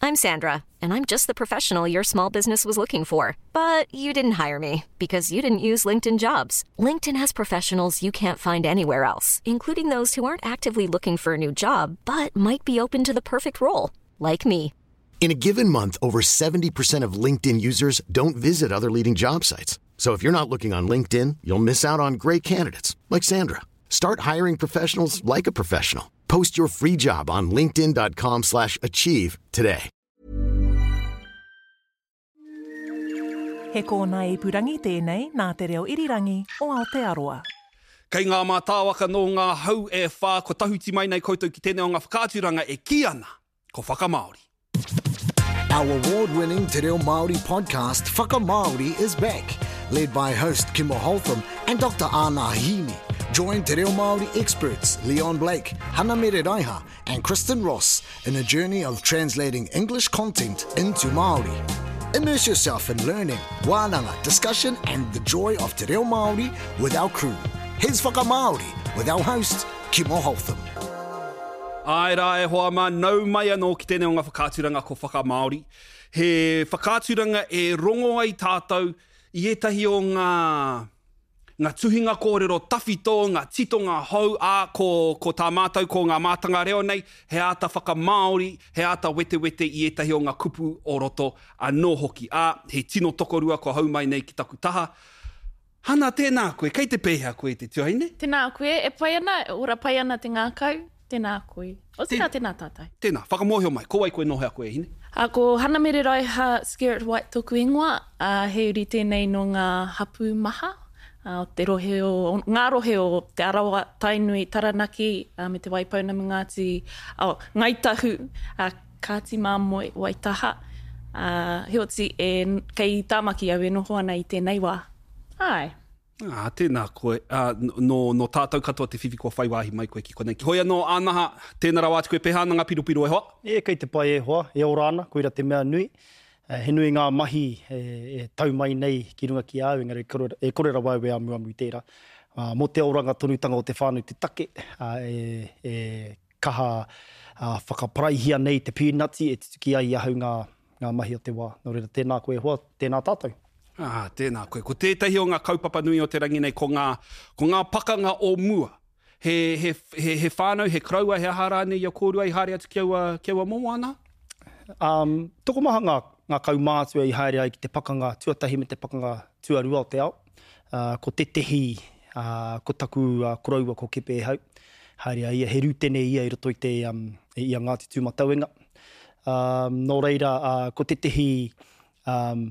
I'm Sandra, and I'm just the professional your small business was looking for. But you didn't hire me because you didn't use LinkedIn jobs. LinkedIn has professionals you can't find anywhere else, including those who aren't actively looking for a new job but might be open to the perfect role, like me. In a given month, over 70% of LinkedIn users don't visit other leading job sites. So if you're not looking on LinkedIn, you'll miss out on great candidates like Sandra. Start hiring professionals like a professional. Post your free job on linkedin.com/achieve slash achieve today. He kōnae ipurangi tēnei nā Te Reo Irirangi o Aotearoa. Kei ngā mātāwaka nō ngā hau e whā kua tahuti mai nei koutou ki tēnei o ngā whakaaturanga e kī ana ko Whakamāori. Our award-winning Te Reo Māori podcast Whakamāori is back, led by host Kimo Holtham and Dr Ana Hini. Join Te Reo Māori experts Leon Blake, Hana Mere Raiha and Kristen Ross in a journey of translating English content into Māori. Immerse yourself in learning, wānanga, discussion and the joy of Te Reo Māori with our crew. Here's Whakamāori with our host, Kimo Holtham. Āe rā e hoa mā, nau mai anō ki tēnei o ngā whakaaturanga ko Whakamāori. He whakaaturanga e rongo ai tātou i ētahi o ngā, ngā tuhinga kōrero tawhito, ngā titonga hou, ā, ko, ko tā mātou, ko ngā mātanga reo nei, he āta whakamāori, he āta wetewete i ētahi o ngā kupu o roto anō hoki. Ā, he tino tokorua kua hou mai nei ki taku taha. Hana, tēnā koe, kei te pēhea koe e te tuahine? Tēnā koe, e pai ana, e ora pai ana te ngākau, tēnā koe. Otirā, tēnā tātou. Tēnā, whakamōhio mai, ko wai koe nō hea koe e hine? Ā, ko Hana Mere Raiha Skerrett White tōku ingoa, ā, he uri tēnei nō ngā hapū maha, ā, o te rohe o, ngā rohe o Te Arawa, Tainui, Taranaki, ā, me Te Waipounamu, Ngāti, oh, Ngāi Tahu, ā, Kāti Māmoe, Waitaha, ā, heoti, e, kei Tāmaki au e noho ana i tēnei wā. Āe. Ā, tēnā koe, ā, nō, nō tātou katoa te whiwhi kua whai wāhi mai koe ki konei. Hoi anō, Ānaha, tēnā rawa atu koe, pēhea ana ngā piropiro e hoa? E, kei te pai e hoa, e ora ana, koira te mea nui. He nui ngā mahi e tau mai nei ki runga ki a au, engari e kore rawa au e amuamu i tērā. Mō te oranga tonutanga o te whānau te take, e, e kaha whakaparaihia nei te pīnati e tutuki ai i ahau ngā, ngā mahi o te wā. Nō reira, tēnā koe e hoa, tēnā tātou. Ā, tēnā koe. Ko tētahi o ngā kaupapa nui o te rangi nei, ko ngā, ko ngā pakanga o mua. He, he, he, he whānau, he koroua, he aha rānei i a kōrua i haere atu ki aua, ki aua momo ana? Um, tokomaha ngā, ngā kaumātua i haere ai ki te pakanga tuatahi me te pakanga tuarua o te ao. Uh, ko tētehi, uh, ko taku uh, koroua ko Kepe Ehau. Haere a ia, he rūtene ia i roto i te, um, i a Ngāti Tūmatauenga. Um, nō reira, uh, ko tētehi, um,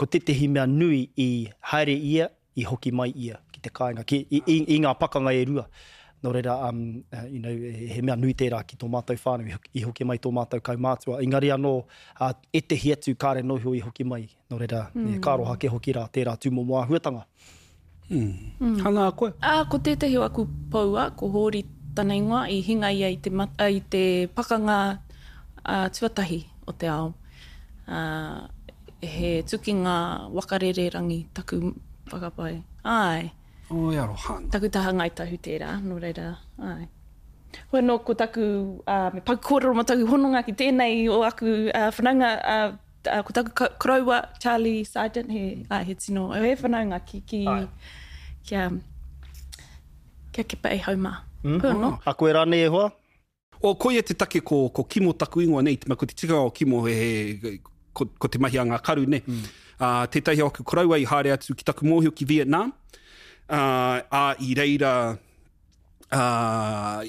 ko tētehi mea nui i haere ia, i hoki mai ia ki te kāinga, ki, i, i, i ngā pakanga e rua. Nō reira, um, you know, he mea nui tērā ki tō mātou whānau, i hoki mai tō mātou kaumātua. Engari anō, uh, ētehi atu kāre noho i hoki mai. Nō reira, mm. ka aroha ke hoki rā tērā tūmomo āhuatanga. Mm. Hanga koe? Ā, ko tētahi o aku poua, ko Hōri tana ingoa, i hinga ia i te, i te pakanga uh, tuatahi o te ao. Uh, he tukinga waka rererangi taku whakapae. Āe. Oi aroha ana. Taku taha Ngāi Tahu tērā, nō reira, āe. Hoi anō, ko taku, uh, me paku kōrero mō taku hononga ki tēnei o aku uh, whanaunga, uh, ko taku koroua, Charlie Sargent, he, āe, he tino, he whanaunga ki, ki, ki a, ki a Kepa Ehau mā. Mm. Hoi anō. A koe rānei e hoa? O, koia te take ko, ko Kimo taku ingoa nei, te mea ko te tikanga o Kimo he, he, ko, ko te mahi a ngā karu, ne. Mm. Uh, tētahi o aku koroua i haere atu ki taku mōhio ki Vietnam, uh, ā, i reira, ā,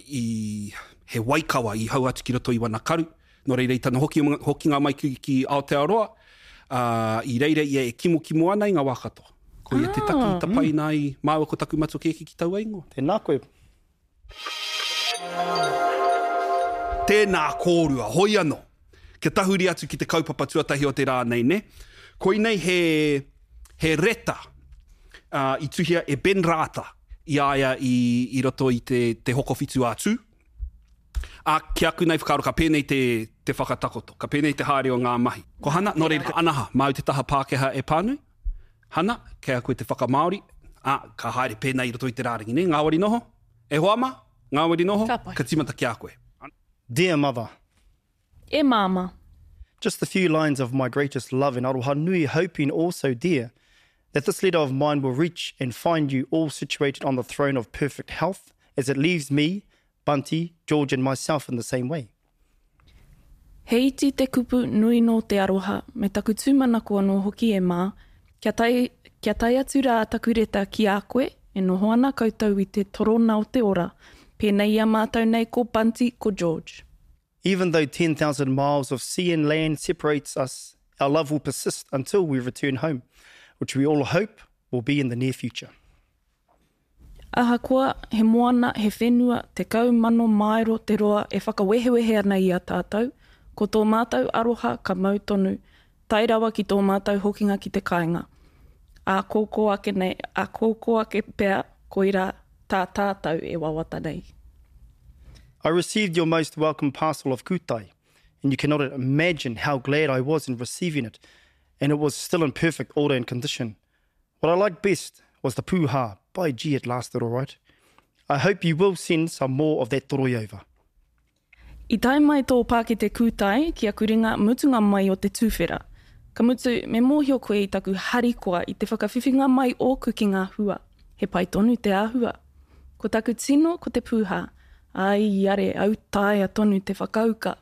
i, he waikawa i hau atu ki roto i wana karu, nō reira i tana hoki, hokinga mai ki, ki Aotearoa, ā, i reira ia e kimokimo ana i ngā wā katoa. Koia te taki i tapaina ai māua ko taku matua kēkē ki taua ingoa. Tēnā koe. Tēnā kōrua, hoi anō. Kia tahuri atu ki te kaupapa tuatahi o te rā nei, nē? Koinei he, he reta uh, i tuhia e Ben Rata i a ia i, i roto i te, te Hokowhitu a Tū. Ā, ki aku nei whakaaro ka pēnei te, te whakatakoto, ka pēnei te haere o ngā mahi. Ko Hana, nō reira, Anaha, māu te taha Pākehā e pānui? Hana, kei a koe te whakamāori, ā, ka haere pēnei i roto i te rārangi, nē? Ngāwari noho? E hoa mā? Ngāwari noho? Ka pai. Ka tīmata ki a koe. Dear mother. E māmā. Just a few lines of my greatest love and aroha nui, hoping also, dear, that this letter of mine will reach and find you all situated on the throne of perfect health, as it leaves me, Bunty, George and myself in the same way. He iti te kupu nui nō te aroha, me taku tūmanako anō hoki e Mā, kia tae, kia tae atu rā taku reta ki a koe, e noho ana koutou i te torona o te ora, pēnei i a mātou nei ko Bunty, ko George. Even though 10,000 miles of sea and land separates us, our love will persist until we return home, which we all hope will be in the near future. Ahakoa, he moana, he whenua, 10,000 māero te roa e whakawehewehe ana i a tātou, ko tō mātou aroha ka mau tonu, tae rawa ki tō mātou hokinga ki te kāinga. Ākōkō ake nei, ākōkō ake pea, koirā tā tātou e wawata nei. I received your most welcome parcel of kūtai, and you cannot imagine how glad I was in receiving it, and it was still in perfect order and condition. What I liked best was the pūhā, by gee it lasted all right. I hope you will send some more of that toroi over. I tae mai tō pākete kūtai ki aku ringa mutunga mai o te tuwhera. Ka mutu, me mōhio koe i taku harikoa i te whakawhiwhinga mai ōku ki ngā hua. He pai tonu te āhua. Ko taku tino ko te pūhā. Ai are, autaia tonu te whakauka.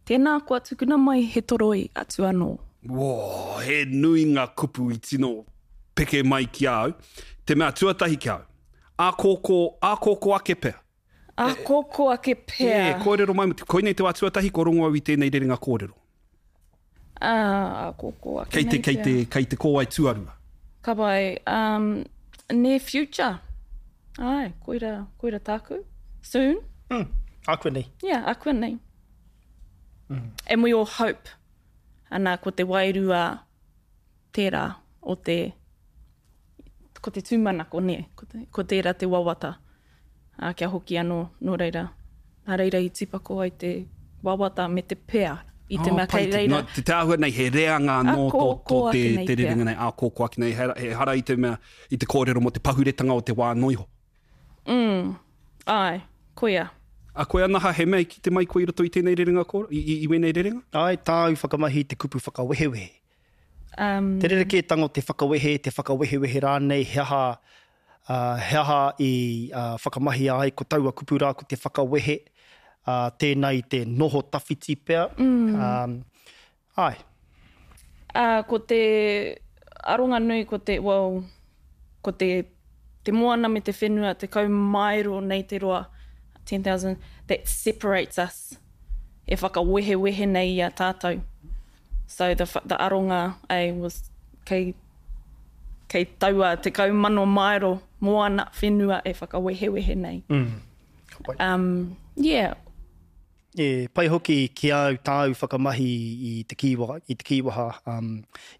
Tēnā koa tukuna mai he toroi atu anō. Woo, he nui ngā kupu i tino peke mai ki a au. Te mea tuatahi ki a au, ākōkō, ākōkō ake pea. Ākōkō ake pea. E, kōrero mai, koinei te wā tuatahi kua rongo au i tēnei rerenga kōrero. Ā, ākōkō ake nei pea. Kei te, kei te kōwae tuarua. Ka pai, um, near future. Āe, koira, koira tāku. Soon. Mm, ākuanei. Yeah, ākuanei. And we all hope, ana, ko te wairua tērā o te, ko te tūmanako, nē, ko, te, ko tērā te wawata, ā, kia hoki anō, nō reira, nā reira i tīpako ai te wawata me te pea, i te oh, mea kei reira. No, te, te āhua nei, he reanga anō tō, tō te, te rerenga nei, ā, kō, kō ake nei, he, he hara i te mea, i te kōrero mō te pahuretanga o te wā noa iho. Mm, āe, koia. A koe Anaha, he mea i kite mai koe i roto i tēnei rerenga kōrero, i, i, i wēnei rerenga? Āe, tāu whakamahi i te kupu whakawehewehe. Um. Te rerekētanga o te whakawehe, te whakawehewehe rānei, he aha, ā, he aha i, ā, whakamahia ai ko taua kupu rā ko te whakawehe, ā, tēnā i te noho tawhiti pea, mm. ā, Āe. Ā, ko te aronga nui ko te, well, ko te, te moana me te whenua, 10 maero nei te roa, 10,000, that separates us, e whakawehewehe nei i a tātou. So the, the aronga, eh, was kei, kei taua 10,000 maero moana, whenua e whakawehewehe nei. Mm. Ka pai. Um, yeah. E pai hoki ki a au tāu whakamahi i te kīwaha, i te kīwaha um,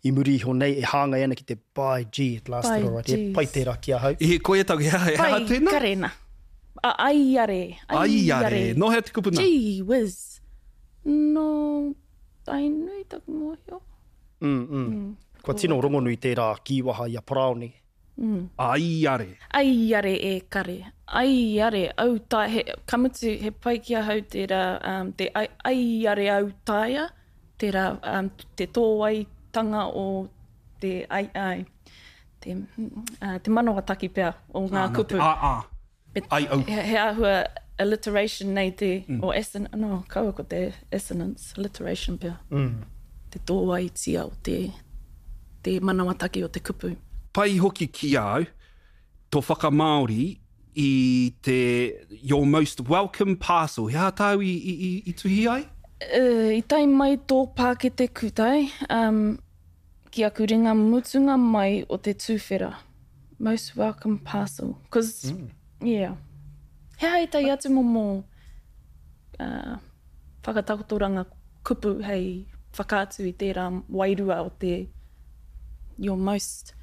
i muri iho nei e hāngai ana ki te by gee it lasted By alright. He pai geez. tērā ki ahau. E koia taku, he aha, he aha Pai tēnā? karena. A, aiare, Aiare. aiare. Nō hea te kupu nā? Gee whiz. Nō Tainui taku mōhio. Mm, mm. Kua tino rongonui tērā kīwaha i a Paraone. Aiare. Aiare e kare. Aiare au tae he ka mutu he pai ki ahau tērā um te ai aiare au taea tērā um te tōwaitanga o te ai ai te uh te manawataki pea o ngā kupu. A a. Ai au. He, he āhua alliteration nei te or asson no kaua ko te assonance alliteration pea. Te tōwaitia o te te manawataki o te kupu. Pai hoki ki a au to whakamāori i te your most welcome parcel. He aha tāu i, i, i, i tuhi ai? I tae mai tō pākete kūtai, um, ki aku ringa mutunga mai o te tuwhera. Most welcome parcel. Cause, mm. yeah. He aha ētahi atu momo uh, whakatakotoranga kupu hei whakaatu i tērā wairua o te your most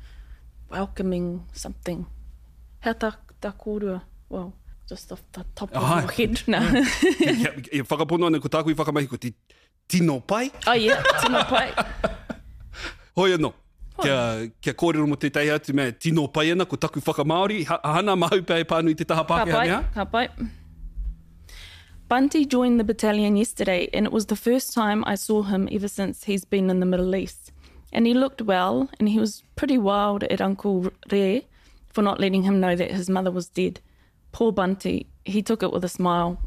welcoming something. He aha tā, tā kōrua? Well, just off the top of your head. Nā. E whakapono ana ko tāku i whakamahi ko te tino pai. Oh yeah, tino pai. Hoi anō, kia, kia kōrero mō tētahi atu mea tino pai ana, ko taku whakamāori, ha, hana māu pea e pānui te taha Pākehā, Ka pai, ka pai. Bunty joined the battalion yesterday and it was the first time I saw him ever since he's been in the Middle East. And he looked well and he was pretty wild at Uncle Re for not letting him know that his mother was dead. Poor Bunty, he took it with a smile.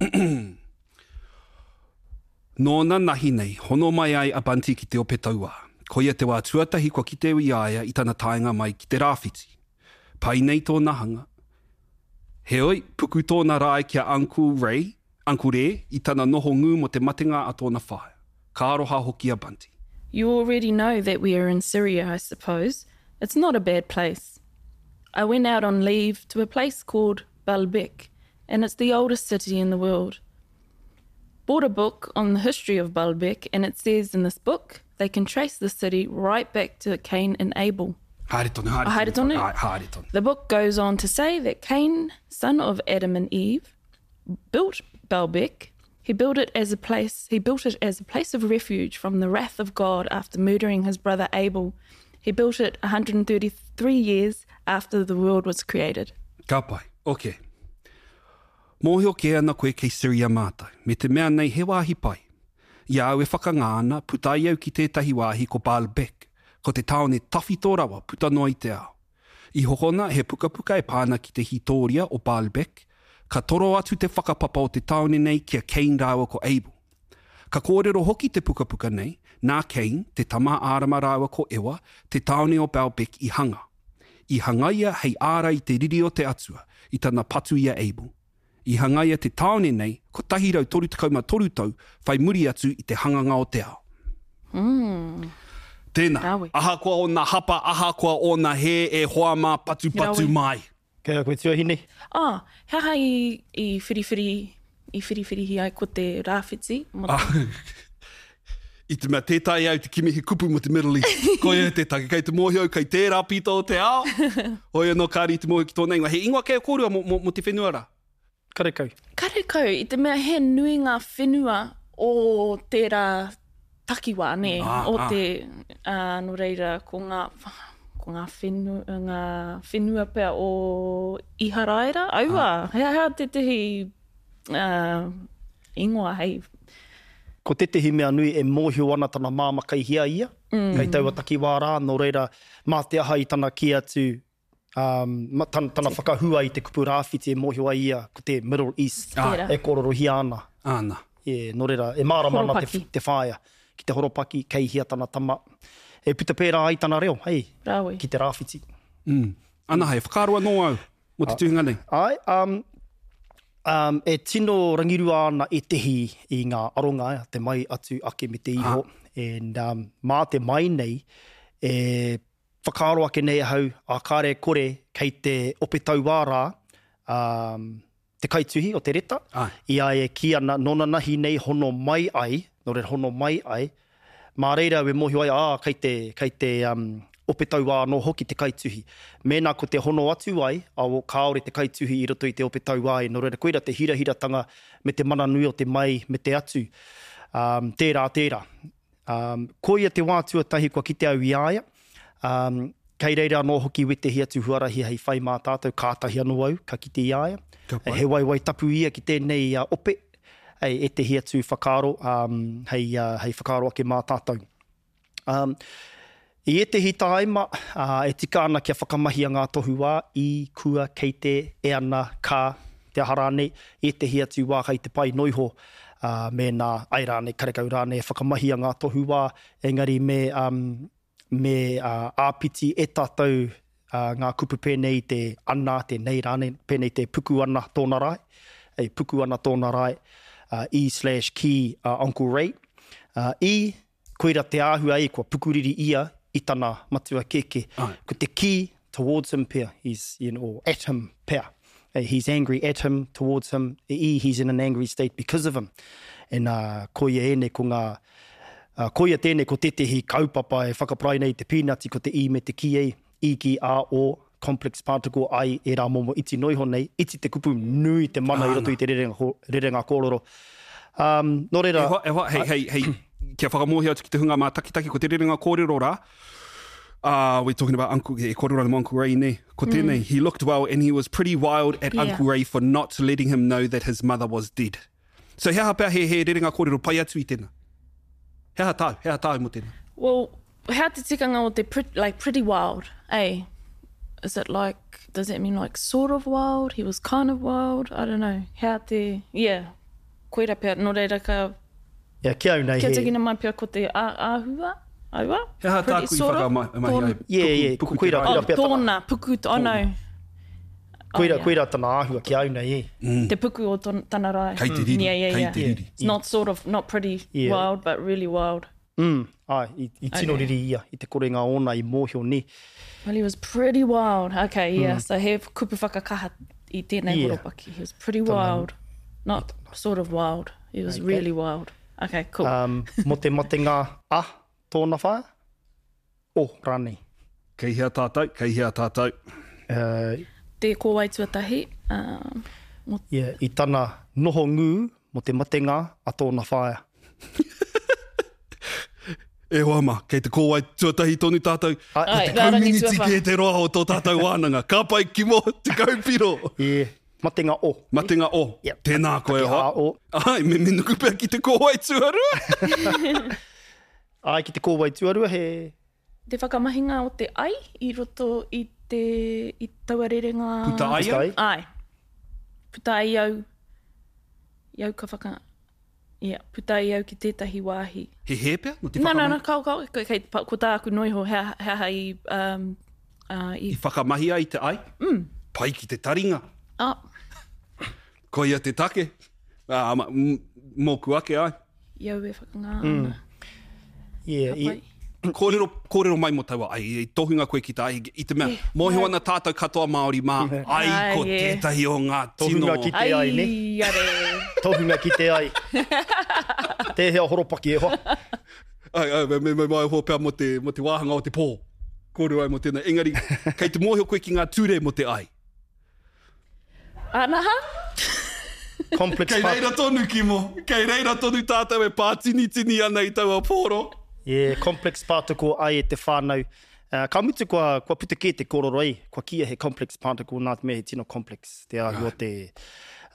Nōna nahi nei, hono mai ai a Bunty ki te ope tauā. Koia te wā tuatahi kua kite i a ia i tana taenga mai ki te rāwhiti. Pai nei tōna hanga. Heoi, puku tōna rae ki a Uncle Ray, Uncle Rē, i tana noho ngū mō te matenga a tōna whaea. Ka aroha hoki a Bunty. You already know that we are in Syria, I suppose. It's not a bad place. I went out on leave to a place called Baalbek, and it's the oldest city in the world. Bought a book on the history of Baalbek, and it says in this book they can trace the city right back to Cain and Abel. Haere tonu, haere tonu. Haere tonu. Ai, haere tonu. The book goes on to say that Cain, son of Adam and Eve, built Baalbek. He built it as a place, he built it as a place of refuge from the wrath of God after murdering his brother Abel. He built it 133 years after the world was created. Ka pai. Ok. Mōhio kē ana koe kei Syria mātou, me te mea nei he wāhi pai. I a au e whakangā ana, puta ai au ki tētahi wāhi ko Baalbek, ko te tāone tawhito rawa puta noa i te ao. I hokona he pukapuka e pā ana ki te hītōria o Baalbek, ka toro atu te whakapapa o te tāone nei ki a Cain rāua ko Abel. Ka kōrero hoki te pukapuka nei, nā Cain, te tama a Ārama rāua ko Ewa, te tāone o Baalbek i hanga. I hangaia hei ārai i te riri o te Atua, i tana patu i a Abel. I hangaia te tāone nei 133 tau whai muri atu i te hanganga o te ao. Tēnā, ahakoa ōna hapa, ahakoa ōna hē, e hoa mā, patupatu mai. Kei a koe tuahine. Ah, he aha i, i whiriwhiri, i whiriwhirihi ai ko te rāwhiti mo te. I te mea tē taea au te kimi he kupu mo te Middle East. Koia te take, kei te mōhio au kei tērā pito o te ao. Hoi anō kāre i te mōhio ki tōna ingoa. He ingoa kei a kōrua mo, mo, mo te whenua rā? Karekau. Karekau, i te mea he nui ngā whenua o tērā takiwā, nē, ah, o ah. te, ā, nō reira, ko ngā, ko ngā whenua, ngā whenua pea o Iharaira, aua, ah. he aha tētehi, ā, ingoa hei. Ko tētehi mea nui e mōhio ana tana māmā kei hea ia, kei taua takiwā rā, nō reira, mā te aha i tana kī atu, um, tana, tana whakahua i te kupu rāwhiti e mōhio ai ia ko te Middle East e kōrorohia ana. Āna. Yeah, nō reira, e mārama ana te, te whaea ki te horopaki, kei hea tana tama. E puta pērā ai tana reo, hei, Rawe. ki te rāwhiti. Mm. Ana, he whakaaro anō au mō te tuhinga nei. Āe, um, um, e tino rangirua ana ētehi i ngā aronga, te mai, atu, ake me te iho. And, um, mā te mai nei, e whakaaro ake nei ahau, ā, kāre e kore, kei te ope tauā rā, um, te kaituhi o te reta, i a ia e kī ana, nōnanahi nei hono mai ai, nō reira hono mai ai, mā reira au e mōhio ai, ā, kei te, kei te um, ope tauā anō hoki te kaituhi. Mēnā ko te hono atu ai, ao, kāore te kaituhi i roto i te ope tauā e, nō reira koira te hirahiratanga me te mana nui o te mai me te atu. Um, tērā, tērā. Um, koia te wā tuatahi kua kite au i a ia. Um, kei reira anō hoki wētehi atu huarahi hei whai mā tātou, kātahi anō au ka kite i a ia. Ka pai. He waewae tapu ia ki tēnei uh, ope, hei ētehi atu whakaaro um, hei, uh, hei whakaaro ake mā tātou. Um, I ētehi tāima, uh, e tika ana kia whakamahia ngā tohu wā, i, kua, kei te, e ana, ka, te aha rānei, i ētehi atu wā kei te pai noiho, ā, mēnā, āe rānei, karekau rānei e whakamahia ngā tohu wā, engari me, um, me uh, āpiti e tātou uh, ngā kupu pēnei i te ana, te nei rānei, pēnei te puku ana tōna rae, e puku ana tōna rae, uh, i slash ki uh, Uncle Ray. Uh, i, Koira te āhua e kua pukuriri ia i tana matua kēkē. Ko te kī, towards him pea, he's, you know, or at him pea. He's angry at him, towards him, i, he's in an angry state because of him. And uh, koia ēnei ko ngā, uh, koia tēnei ko tētehi kaupapa e whakaparai nei i te pīnati ko te i me te ki ei, i ki a o, complex particle ai ērā momo iti noa iho nei, iti te kupu, nui te mana i roto i te rerenga, rerenga kōrero. Um, nō reira... E hoa, e hoa, hei, hei, hei, kia whakamōhio atu ki te hunga mātakitaki, ko te rerenga kōrero rā, uh, we're talking about Uncle, e kōrero ana mō Uncle Ray, nē? Ko tēnei, mm. he looked well and he was pretty wild at yeah. Uncle Ray for not letting him know that his mother was dead. So he aha pea he, he rerenga kōrero pai atu i tēnā? He aha tāu? He aha tāu mō tēnā? Well, he aha te tikanga o te pret, like pretty wild, eh? Is it like, does that mean like sort of wild? He was kind of wild? I don't know. He aha te, yeah. Koira pea, nō reira ka... Yeah, ki au nei he... Kia tikina mai pea ko te āhua, aua? He aha tāku i whakamahi ai? Yeah, yeah, puku te rae. Oh, tōna, puku, oh no. Koira, koira tana āhua ki au nei, e. Te puku o tana rae. Kei te riri, yeah, yeah, kei yeah. te riri. It's not sort of, not pretty yeah. wild, but really wild. Mm, ai, i, i tino Okay. riri ia, i te korenga ōna i mōhio ni. Well, he was pretty wild. Okay, yeah. So he kupu whakakaha i tēnei Yeah. horopaki. He was pretty wild. Not sort of wild. He was Okay. really wild. Okay, cool. Um, mō te matenga a tōna whaea? O, rānei. Kei hea tātou, kei hea tātou. Uh, Te kōwai tuatahi. Um, mō yeah, i tana noho ngū mō te matenga a tōna whaea. E hoa mā, kei te kōwai tuatahi tonu tātou. Ai, Ai, Tekau rārangi miniti tuawhā. kē te roa o tō tātou wānanga. Ka pai, Kimo, 10 piro. Yeah, matenga o. Matenga o. Yep. Tēnā koe, Take hoa. a o. Ai, me, me nuku pea ki te kōwai tuarua. Ai, ki te kōwai tuarua he... Te whakamahinga o te ai i roto i te i taua rerenga. Puta ai au? Puta ai. Ai. Puta ai au. I au ka whaka... Yeah, puta ai au ki tētahi wāhi. He hē pea? No te No, no, whakamahi? no, kao, kao, kei, ko tāku noiho, he, he aha i, um, uh, i... I whakamahi ai te ai? Mm. Pai ki te taringa. Ah, Koia te take. Ah, ma, mōku ake ai. i au e whakangā ana. Yeah, Ka i, pai. Kōrero, kōrero mai mō taua ai, i tohunga koe ki tā ai, i te mea, mōhio ana tātou katoa Māori mā, ai Ai, ko yeah. tētahi o ngā tino. Tohunga ki te ai, ne? Ai, are. Tohunga ki te ai. Tēhea horopaki e hoa. Ai, ai, me, me, me mai hoa pea mō te, mō te wāhanga o te pō. Kōrero ai mō tēnā. Engari, kei te mōhio koe ki ngā ture mō te ai. Anaha? Complex Kei part. reira tonu, Kimo. Kei reira tonu tātou e pātinitini ana i taua pōro. Yeah, complex particle ai e te whānau. Uh, ka mutu kua, kua puta kē te kōrero ai, kua kīia he complex particle nā te mea he tino complex te āhua o te,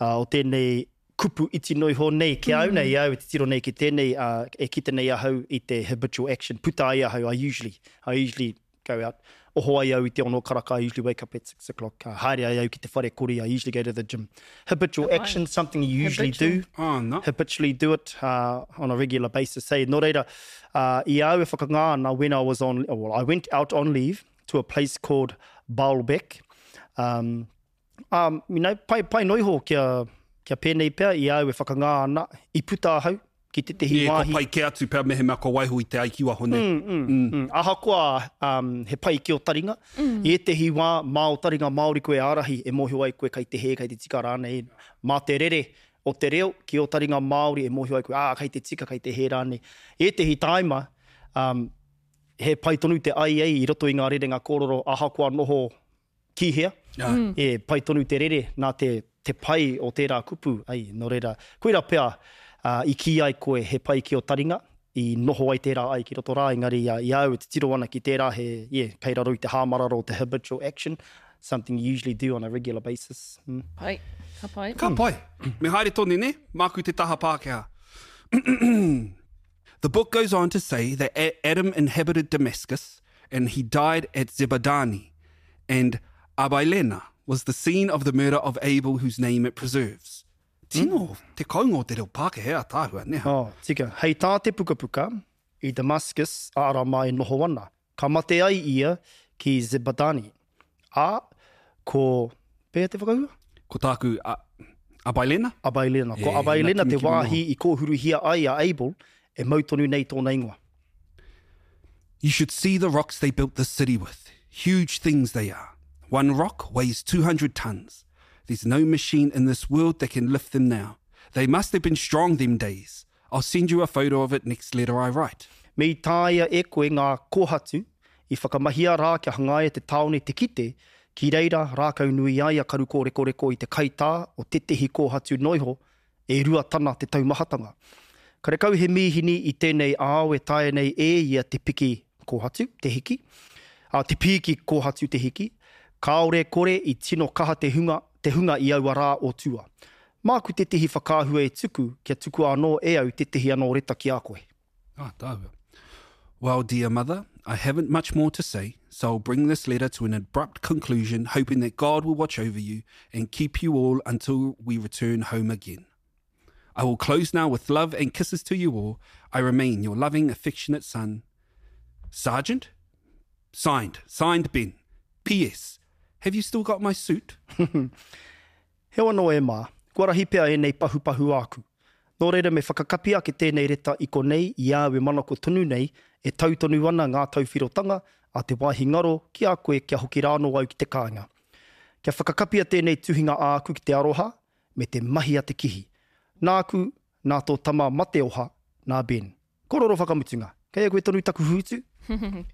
uh, o tēnei kupu iti noi ho nei ki au nei, au e te tiro nei ki tēnei, uh, e kite nei ahau i te habitual action. Puta ai ahau, I usually, I usually go out. Oho ai au i te ono karaka, I usually wake up at 6 o'clock. Uh, haere ai au ki te whare kori, I usually go to the gym. Habitual action, something you usually Habitual. do Ah, no. habitually do it uh, on a regular basis. Say, nō reira, uh, i au e whakangā ana when I was on, well, I went out on leave to a place called Baalbek. Um, um, you know, pai, pai noiho kia, kia pēnei pea i au e whakangā ana, i puta ahau ki tētehi Yeah, wāhi. ko pai kē atu pea mehemea ko waiho i te ai ki waho nei. Mm, ahakoa um, he pai ki o taringa, i ētehi wā mā o taringa Māori koe ārahi e mōhio ai koe kei te hē, kei te tika rānei. Mā te rere o te reo ki o taringa Māori e mōhio ai koe, ā, kei te tika, kei te hē rānei. I ētehi tāima, um, he pai tonu te ai ai i roto i ngā rerenga kōrero ahakoa noho ki hea, Mm. e pai tonu te rere nā te, te pai o tērā kupu, ai, nō reira, koira pea uh, i kī ai koe he pai ki o taringa, i noho ai tērā ai ki roto rā, engari uh, i au e te tiro ana ki tērā he, yeah, kei raro i te hāmararo o te habitual action, something you usually do on a regular basis. Mm. Pai. Ka pai. Ka pai. Me haere tonu, ne? Māku te taha Pākehā. The book goes on to say that Adam inhabited Damascus and he died at Zebadani, and Abilena was the scene of the murder of Abel whose name it preserves. Tino, te kaunga o te reo Pākehā tāhua, ne? Oh, tika. Hei tā te pukapuka, i Damascus, a Arama e noho ana. Ka mate ai ia ki Zebadani. A, ko... Pēhea te whakahua? Ko tāku, a, Abilena? Abailena. Ko E, Abailena nā te kimi kimi wāhi i kōhuruhia ai a Abel, e mau tonu nei tōna ingoa. You should see the rocks they built the city with. Huge things they are. One rock weighs 200 tons. There's no machine in this world that can lift them now. They must have been strong them days. I'll send you a photo of it next letter I write. Me i tāia e koe ngā kōhatu, i whakamahia rā kia hangaia te tāone te kite, ki reira rākau nui ai a Karukōrekoreko i te kaitā o tētehi kōhatu noiho, e rua tana te taumahatanga. Karekau he mīhini i tēnei ao e taea nei e ia te piki kōhatu, te hiki, a, te pīki kōhatu te hiki, kāore kore i tino kaha te hunga, te hunga i aua rā o tua. Māku tētehi whakaahua e tuku kia tukua anō e au tētehi anō reta ki a koe. Ah, tāua. Well, dear mother, I haven't much more to say, so I'll bring this letter to an abrupt conclusion, hoping that God will watch over you and keep you all until we return home again. I will close now with love and kisses to you all. I remain your loving, affectionate son, Sergeant? Signed, signed Ben. P.S. Have you still got my suit? Heoi anō e Mā, kua rahi pea ēnei pahupahu āku. Nō reira me whakakapi ake tēnei reta i konei i a au e manako tonu nei e tau tonu ana ngā tauwhirotanga a te wāhi ngaro ki a koe kia hoki rānō au ki te kāinga. Kia whakakapia tēnei tuhinga āku ki te aroha me te mahi a te kihi. Nāku, nā tō tama mateoha, nā Ben. Kororo whakamutunga. Kei a koe tonu taku hūtu?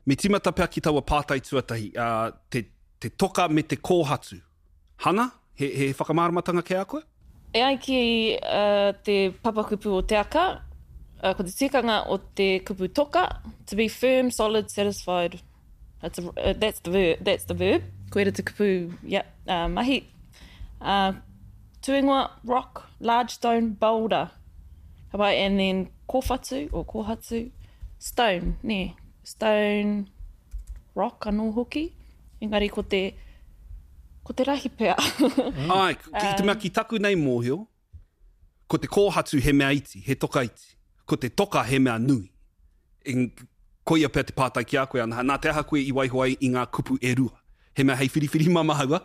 Me tīmata pea ki taua pātai tuatahi, ā, te, te toka me te kōhatu. Hana, he, he whakamāramatanga kei a koe? E ai ki te papakupu o Te Aka, ko te tikanga o te kupu toka, to be firm, solid, satisfied. That's, a, that's, the, verb, that's the verb. Koira te kupu, yeah, uh, mahi. Uh, tūingoa, rock, large stone, boulder. Ka pai, and then kōwhatu or kōhatu, stone, nē, stone, rock anō hoki. Engari ko te, ko te rahi pea. Āe, ki te mea ki taku nei mōhio, ko te kōhatu he mea iti, he toka iti. Ko te toka he mea nui. Eng, koia pea te pātai ki a koe, Anaha, nā te aha koe i waiho ai i ngā kupu e rua? He mea hei whiriwhiri mā māua?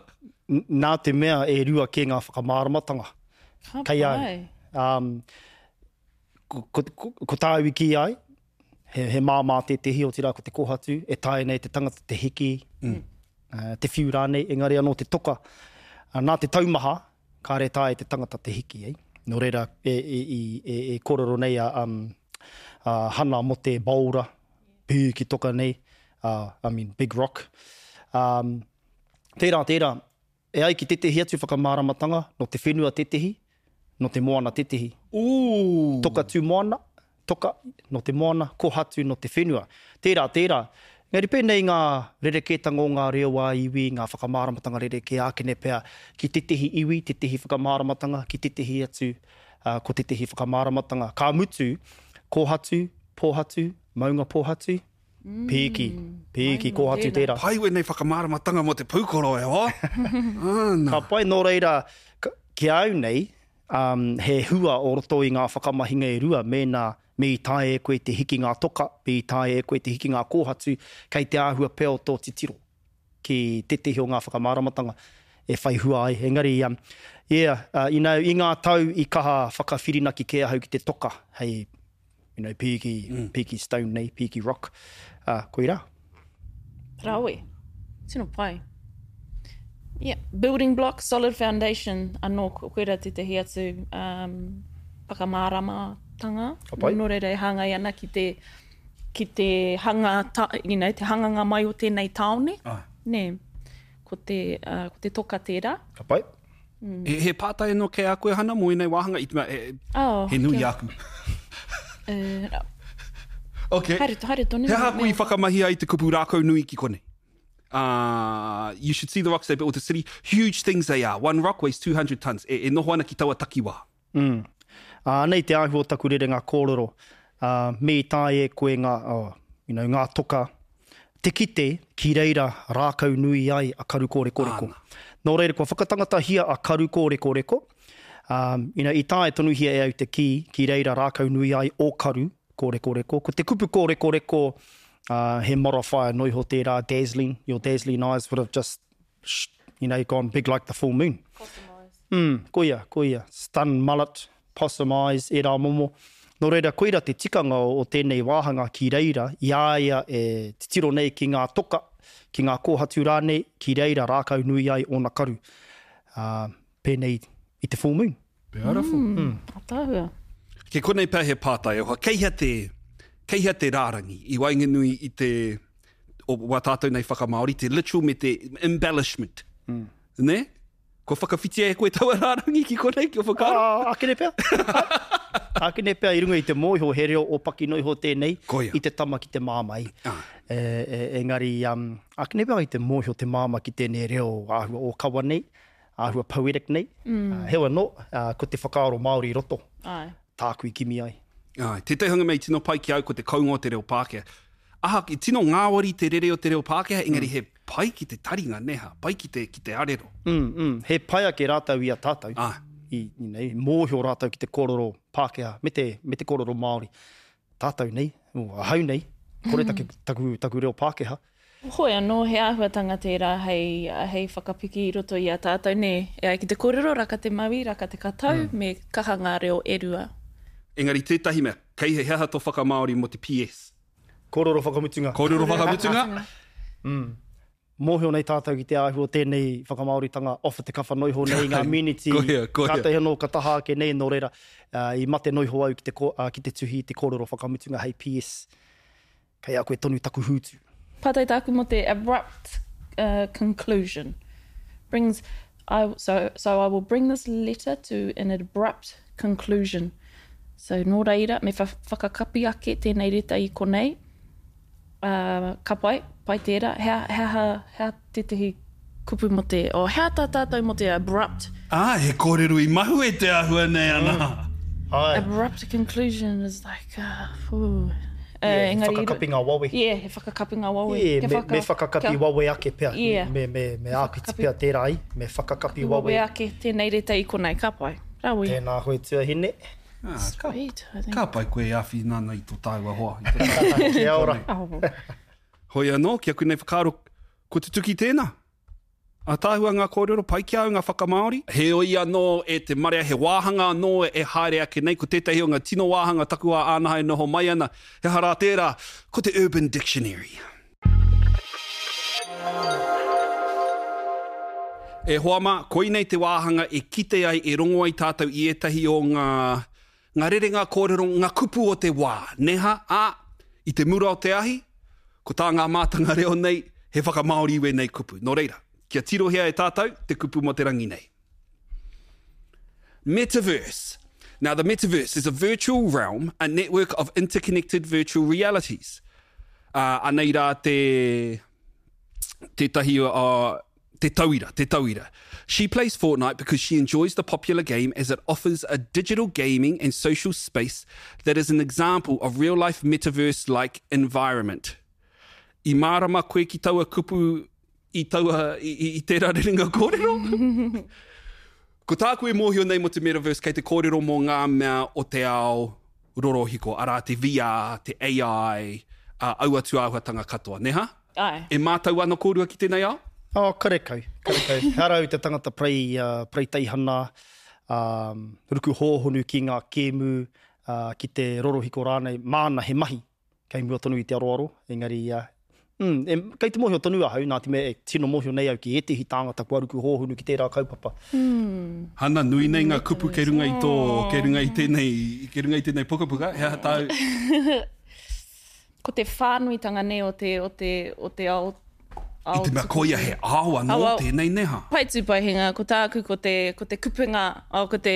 Nā te mea e rua kē ngā whakamāramatanga. Ka Kei au. pai. Um, ko, ko, ko, ko tāu i kī ai, he, he māmā tētehi, otirā ko te kōhatu, e taea nei te tangata te hiki, mm. uh, te whiu rānei, engari anō te toka. Uh, nā te taumaha, kāre taea te tangata te hiki, eh? Nō reira, e, e, e, e, e kōrero nei a, um, a Hana mō te boulder, pīki toka nei, uh, I mean, big rock. Um, tērā, tērā, E ai ki tētehi atu whakamāramatanga, nō te whenua tētehi, nō te moana tētehi. Ooh! Toka tū moana, toka, nō te moana, kohatu nō te whenua. Tērā, tērā. Engari pēnei ngā rerekētanga o ngā reo ā-iwi, ngā whakamāramatanga rerekē ākene pea ki tētehi iwi, tētehi whakamāramatanga, ki tētehi atu, ā, ko tētehi whakamāramatanga. Ka mutu, kōhatu, pōhatu, maunga pōhatu, Pīki, pīki, kōhatu tērā. Pai wēnei whakamāramatanga mō te pūkoro e hoa. Āna. Ka pai, nō reira, ki a au nei, he hua o roto i ngā whakamahinga e rua mēnā me i taea e koe te hiki ngā toka, me i taea e koe te hiki ngā kōhatu, kei te āhua pea o tō titiro ki tētehi o ngā whakamāramatanga e whai hua ai. Engari, yeah, you know, i ngā tau i kaha whakawhirinaki kē ahau ki te toka hei you know, pīki, mm. pīki stone nei, pīki rock, uh, koirā. Rawe. Tino pai. Yeah, building block, solid foundation, anō, koira tētehi atu um, whakamāramatanga. Ka pai. Nō reira e hāngai ana ki te, ki te hanga, ta, you know, te hanganga mai o tēnei tāone. Ah. Nē, ko te, uh, ko te toka tērā. Ka pai. Mm. He, he pātai anō kei a koe, Hana, mō ēnei wāhanga? I te mea, e, oh, he nui kia. āku. Uh, okay. Haere, haere tonu. He aha koe i whakamahi ai te kupu rākau nui ki konei? Uh, you should see the rocks they built the city. Huge things they are. One rock weighs 200 tons. E, e noho ana ki taua takiwā. Mm. Uh, anei te āhua o taku rerenga kōrero. Uh, me i taea e koe ngā, oh, you know, ngā toka te kite ki reira rākau nui ai a Karukōrekoreko. Āna. Nō reira, kua whakatangatahia a Karukōrekoreko, um, you know, i taea tonuhia e au te kī ki reira rākau nui ai o Karu kōrekoreko. Ko te kupu kōrekoreko, uh, he modifier noa iho tērā, dazzling, your dazzling eyes would have just you know, gone big like the full moon. Possum eyes. Mm, koia, koia. Stun mullet, possum eyes, ērā momo. Nō reira, koira te tikanga o, o tēnei wāhanga ki reira, i a ia e titiro nei ki ngā toka, ki ngā kōhatu rānei, ki reira rākau nui ai ōna karu. Ā, pēnei i te full moon. Beautiful. Mm, ataahua. Kei konei pea he pātai oha, kei hea te, kei hea te rārangi i waenganui i te, o wā tātou nei whakamāori, te literal me te embellishment. Mm. Ne? Kua whakawhitia e koe taua rārangi ki konei, kia whakaaro? Ā, ākene pea. Ākene pea i runga i te mōhio he reo ōpaki noa iho tēnei Koia. i te tama ki te māmā. Ah. E, e, engari, um, ākene pea i te mōhio te māmā ki tēnei reo āhua ōkawa nei. āhua poetic nei. Mm. Heoi anō, ko te whakaaro Māori i roto. Āe. Tāku i kimi ai. Āe, tētahi hanga mea i tino pai ki au ko te kounga o te reo Pākehā. Aha, i tino ngāwari te rere o te reo Pākehā, engari mm. he pai ki te taringa, nē hā, pai ki te, ki te arero. Mm, mm. He pai ake rātou i a tātou. Āe. I, you know, mōhio rātou ki te kōrero Pākehā me te, me te kōrero Māori. Tātou nei, oh, ahau nei, kore mm. taku, taku reo Pākehā. Hoi anō, he āhuatanga tērā hei, hei whakapiki i roto i a tātou, nē? E ai ki te kōrero, raka te mauī, raka te katau, me kaha ngā reo e rua. Engari tētahi mea, kei he aha tō whakamāori mō te PS? Kōrero whakamutunga. Kōrero whakamutunga. Mm. Mōhio nei tātou ki te āhua o tēnei whakamāoritanga off the cuff anō iho nei i ngā miniti Koia, koia. kātahi anō ka taha ake nei, nō reira, i mate noa iho au ki te, ki te tuhi i te kōrero whakamutunga hei PS. Kei a koe tonu taku hūtu. Pātai tāku mō te abrupt conclusion. Brings, I, so, so I will bring this letter to an abrupt conclusion. So, nō reira, me whakakapi ake tēnei reta i konei. Uh, ka pai, pai tērā. He, he aha, he aha tētehi kupu mō te, oh, he aha tā tātou mō te abrupt? Ā, he kōrero i mahue te āhua nei ana. Āe. Abrupt conclusion is like, uh, whew. Uh, yeah, he whakakapinga wawe. Yeah, he whakakapinga wawe. Yeah, me, me whakakapi wawe ake pea. Yeah. Me, me, me āpiti pea tērā i. Me whakakapi wawe. Wawe ake tēnei reta i konei, ka pai. Rawe. Tēnā koe tuahine. Ah, Sweet, I think. Ka pai koe e āwhina ana i tō tāua hoa. I tō tāua Kia ora. Hoi anō, ki aku nei whakaaro, Ko tutuki tēnā. Ataahua ngā kōrero, pai ki a au ngā whakamāori. Heoi anō e te marea he wāhanga anō e haere ake nei, ko tētahi o ngā tino wāhanga takuā ānaha e noho mai ana, he aha rā tērā, ko te Urban Dictionary. E hoa mā, koinei te wāhanga e kite ai, e rongo ai tātou i ētahi o ngā, ngā rerenga kōrero, ngā kupu o te wā, neha, ā, i te mura o te ahi, ko tā ngā mātanga reo nei, he whakamāori i wēnei kupu. Nō reira, kia tirohia e tātou te kupu mō te rangi nei. Metaverse. Now, the metaverse is a virtual realm, a network of interconnected virtual realities. Uh, anei rā te, tētahi uh, Te tauira, te tauira. She plays Fortnite because she enjoys the popular game as it offers a digital gaming and social space that is an example of real-life metaverse-like environment. I mārama koe ki taua kupu i taua, i, i, i tērā rerenga kōrero? Ko tāku e mōhio nei mō te metaverse kei te kōrero mō ngā mea o te ao rorohiko, arā te VR, te AI, ā, aua tūāhuatanga katoa, nē hā? Āe. E mātau ana kōrua ki tēnei ao? Oh, karekau, karekau. Ehara au te tangata parei, pareiteihana, ruku hōhonu ki ngā kēmu, ki te rorohiko rānei, māna he mahi kei mua tonu i te aroaro, engari, mm, e, kei te mōhio tonu ahau, nā te mea e tino mōhio nei au ki ētehi tāngata kua ruku hōhonu ki tērā kaupapa. Mm. Hana, nui nei ngā kupu kei runga i tō, kei runga i tēnei, kei runga i tēnei pukapuka, he aha tāu? Ko te whānuitanga nei o te, o te, o te ao, ao I te mea koia he ao anō ao, tēnei neha. Pai tūpaihenga, ko tāku ko te, ko te kupenga, oh, ko te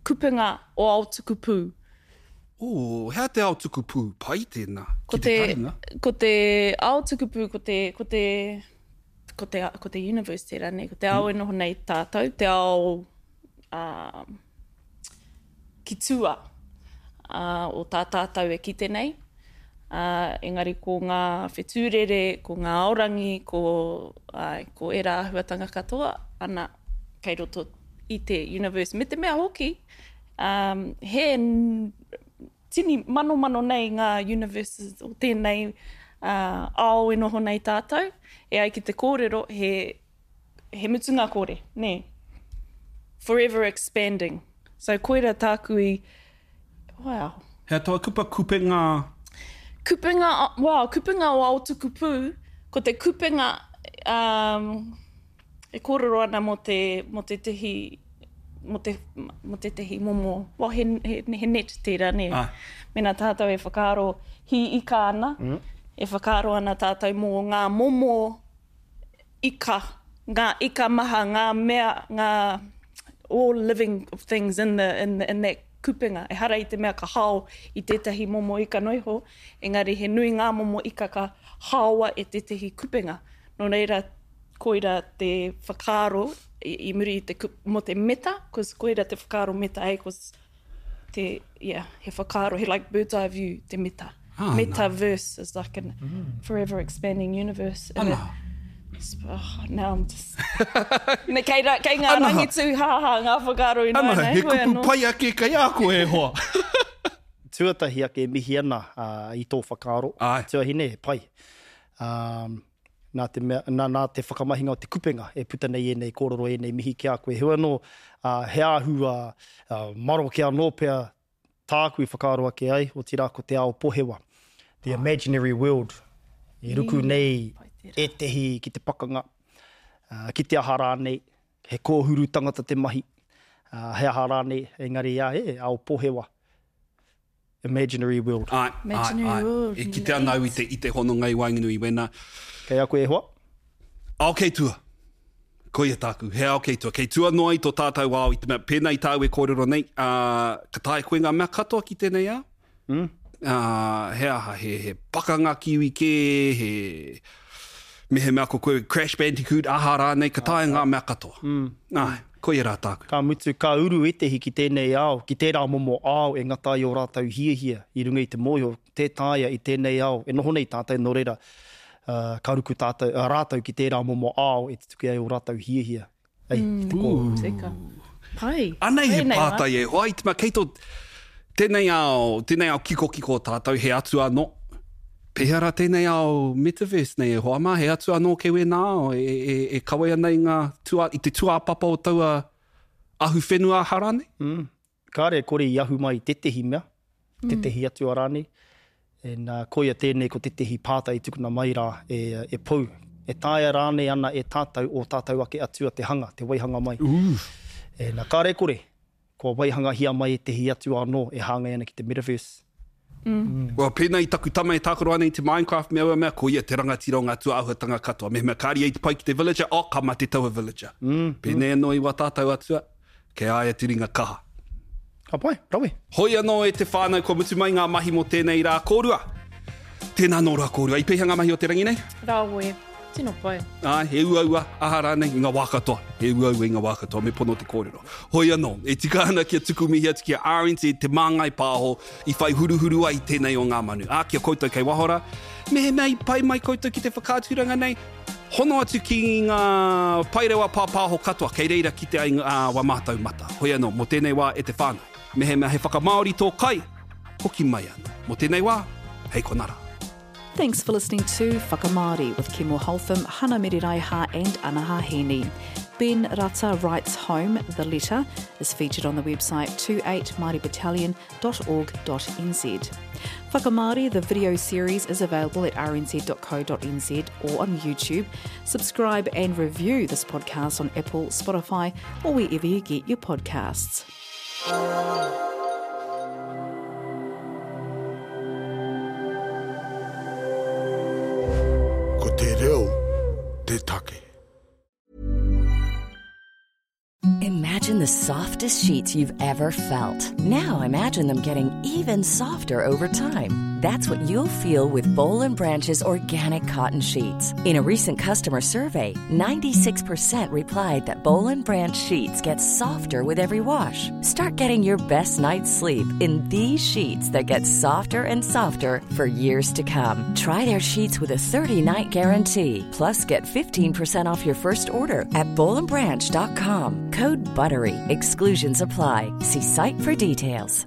kupenga o ao tukupū. Oh, hea te ao tukupū? Pai tēnā, ki te taringa. Ko te ao tukupū, ko te, ko te, ko te, ko te universe tērā nei, ko te ao e noho nei tātou, te ao, uh, ki tua o tā tātou e kite nei. Ā, engari ko ngā whetū rere, ko ngā aorangi, ko, āe, ko ērā āhuatanga katoa, ana, kei roto i te universe. Me te mea hoki, ā, he tini manomano nei ngā universes o tēnei ao e noho nei tātou. E ai ki te kōrero, he he mutunga kore, nē. Forever expanding. So koira tāku i, wow. Hea taua kupa kupenga? Kupenga, wow, kupenga o Aotukupū, ko te kupenga, um, e kōrero ana mō te, mō tētehi, mō te, mō tētehi momo, well, he, he, he net tērā, nē. Ah. Mēnā tātou e whakaaro hī ika ana, mm. e whakaaro ana tātou mō ngā momo ika, ngā ika maha, ngā mea, ngā all living things in the, in the, in that kupenga. Ehara i te mea ka hao i tētahi momo ika noa iho, engari he nui ngā momo ika ka haoa e tētahi kupenga. Nō reira, koira te whakaaro i, i muri i te kupu, mō te meta, cause koira te whakaaro meta, hey, cause te, yeah, he whakaaro, he like bird's eye view te meta. Ah, Metaverse is like an forever expanding universe. And it, oh, now I'm just... Ne, kei, ra, kei ngā Ana. rangi tūhāhā ngā whakaaro ināianei. Ana, he kupu pai ake kei a koe e hoa. Tuatahi ake e mihi ana i tō whakaaro. Āe. Tuahine, he pai. Um, nā te mea, nā, nā te whakamahinga o te kupenga e puta nei ēnei kōrero, ēnei mihi ki a koe. Heoi anō, ā, he āhua maroke anō pea tāku i whakaaro ake ai, otirā ko te ao pohewa, the imaginary world, e ruku nei ētehi ki te pakanga, ā, ki te aha rānei, he kōhuru tangata te mahi, ā, he aha rānei, engari, ā, he ao pohewa. Imaginary world. Āe, āe, āe. E kite ana au i te, i te hononga i waenganui i wēnā. Kei a koe e hoa? Ao kei tua. Koia tāku, he ao kei tua. Kei tua noa i tō tātou ao i te mea, pēnā i tāu e kōrero nei, ā, ka taea koe ngā mea katoa ki tēnei ao? Mm. Ā, he aha, he, he pakanga ki iwi kē, he, mehemea ko koe Crash Bandicoot, aha rānei, ka taea ngā mea katoa. Mm. Āe. Koia rā tāku. Ka mutu, ka uru ētehi ki tēnei ao, ki tērā momo ao e ngata ai ō rātou hiahia i runga i te mōhio, tē taea i tēnei ao e noho nei tātou, nō reira, ka ruku tātou, rātou ki tērā momo ao e tutuki ai ō rātou hiahia. Ei, ki te kōrero. Tika. Pai. Anei he pātai e hoa, i te mea kei tō, tēnei ao, tēnei ao kikokiko o tātou, he atua anō. Pēhea rā tēnei ao metaverse nei e hoa mā, he atua anō kei wēnā ao e, e, e kawe ana i ngā tua, i te tūāpapa o taua ahuwhenua aha rānei? Mm. Kāre e kore i ahu mai i tētehi mea, tētehi atua rānei. And, koia tēnei ko tētehi pātai i tukuna mai rā e, e Pou. E taea rānei ana e tātou ō tātou ake atua te hanga, te waihanga mai. Ooh. And, kāre e kore, Kua waihangahia mai ētehi atu anō e hāngai ana ki te metaverse. Well, pēnā i taku tama e tākaro ana i te Minecraft me aua mea, ko ia te rangatira o ngā tūāhuatanga katoa. Mehemea kāre ia i te pai ki te villager, oh, ka mate taua villager. Pēnei anō i wā tātou atua, kei a ia te ringa kaha. Ka pai, rawe. Hoi anō e te whānau, kua mutu mai ngā mahi mō tēnei rā kōrua. Tēnā anō rā kōrua. I pēhea ngā mahi o te rangi nei? Rawe. Tino pai. Āe, he uaua, aha rānei, i ngā wā katoa. He uaua i ngā wā katoa, me pono te kōrero. Hoi anō, e tika ana kia tuku mihi atu ki a RNZ, Te Māngai Pāho, i whai huruhuru ai tēnei o ngā manu. Ā, ki a koutou kei waho rā, mehemea i pai mai koutou ki te whakaaturanga nei, hono atu ki ngā paerewa pāpāho katoa, kei reira kite ai ngā wā mātou mata. Hoi anō, mō tēnei wā e te whānau, mehemea he whakamāori tō kai, hoki mai anō. Mō tēnei wā, hei konā rā. Thanks for listening to Whakamāori with Kimo Holtham, Hana Mereraiha and Anaha Heaney. Ben Rata Writes Home, The Letter, is featured on the website 28maoribattalion.org.nz. Whakamāori, the video series, is available at rnz.co.nz or on YouTube. Subscribe and review this podcast on Apple, Spotify, or wherever you get your podcasts. Ko te reo te take. Imagine the softest sheets you've ever felt. Now imagine them getting even softer over time. That's what you'll feel with Boll & Branch's organic cotton sheets. In a recent customer survey, 96% replied that Boll & Branch sheets get softer with every wash. Start getting your best night's sleep in these sheets that get softer and softer for years to come. Try their sheets with a 30-night guarantee. Plus, get 15% off your first order at bollandbranch.com. Code BUTTERY. Exclusions apply. See site for details.